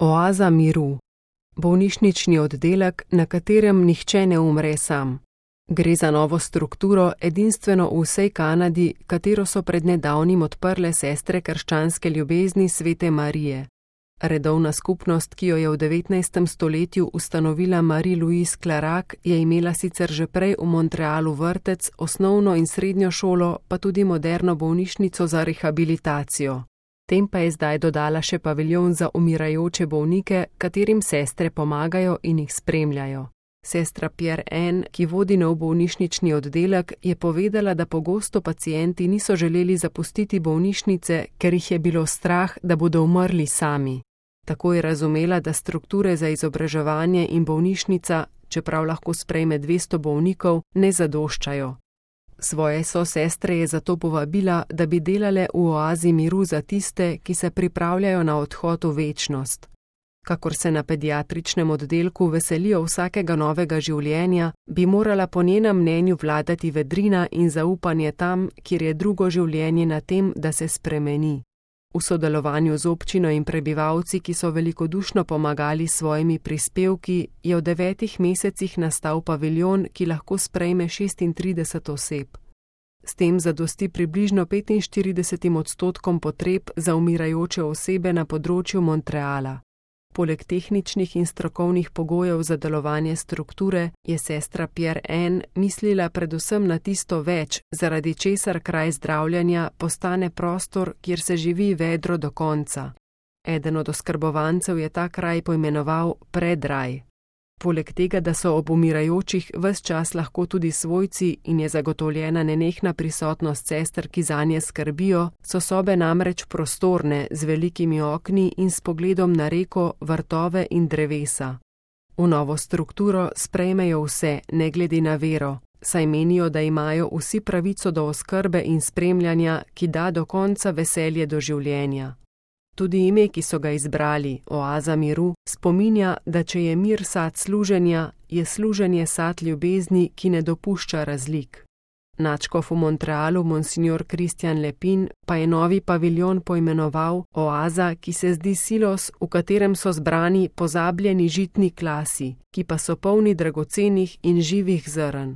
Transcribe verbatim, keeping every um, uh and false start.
Oaza miru. Bolnišnični oddelek, na katerem nihče ne umre sam. Gre za novo strukturo, edinstveno v vsej Kanadi, katero so pred nedavnim odprle sestre krščanske ljubezni Svete Marije. Redovna skupnost, ki jo je v devetnajstem stoletju ustanovila Marie-Louise Clarac, je imela sicer že prej v Montrealu vrtec, osnovno in srednjo šolo, pa tudi moderno bolnišnico za rehabilitacijo. Tem pa je zdaj dodala še paviljon za umirajoče bolnike, katerim sestre pomagajo in jih spremljajo. Sestra Pierre Anne, ki vodi nov bolnišnični oddelek, je povedala, da pogosto pacienti niso želeli zapustiti bolnišnice, ker jih je bilo strah, da bodo umrli sami. Tako je razumela, da strukture za izobraževanje in bolnišnica, čeprav lahko sprejme dvesto bolnikov, ne zadoščajo. Svoje sosestre je zato povabila, da bi delale v oazi miru za tiste, ki se pripravljajo na odhod v večnost. Kakor se na pediatričnem oddelku veselijo vsakega novega življenja, bi morala po njenem mnenju vladati vedrina in zaupanje tam, kjer je drugo življenje na tem, da se spremeni. V sodelovanju z občino in prebivalci, ki so velikodušno pomagali s svojimi prispevki, je v devetih mesecih nastal paviljon, ki lahko sprejme šestintrideset oseb. S tem zadosti približno petinštiridesetim odstotkom potreb za umirajoče osebe na področju Montreala. Poleg tehničnih in strokovnih pogojev za delovanje strukture je sestra Pierre Anne mislila predvsem na tisto več, zaradi česar kraj zdravljenja postane prostor, kjer se živi vedro do konca. Eden od oskrbovancev je ta kraj poimenoval predraj. Poleg tega, da so ob umirajočih ves čas lahko tudi svojci in je zagotovljena nenehna prisotnost sester, ki zanje skrbijo, so sobe namreč prostorne, z velikimi okni in s pogledom na reko, vrtove in drevesa. V novo strukturo sprejmejo vse, ne glede na vero, saj menijo, da imajo vsi pravico do oskrbe in spremljanja, ki da do konca veselje do življenja. Tudi ime, ki so ga izbrali, Oaza miru, spominja, da če je mir sad služenja, je služenje sad ljubezni, ki ne dopušča razlik. Nadškof v Montrealu, monsignor Christian Lepin, pa je novi paviljon poimenoval Oaza, ki se zdi silos, v katerem so zbrani pozabljeni žitni klasi, ki pa so polni dragocenih in živih zrn.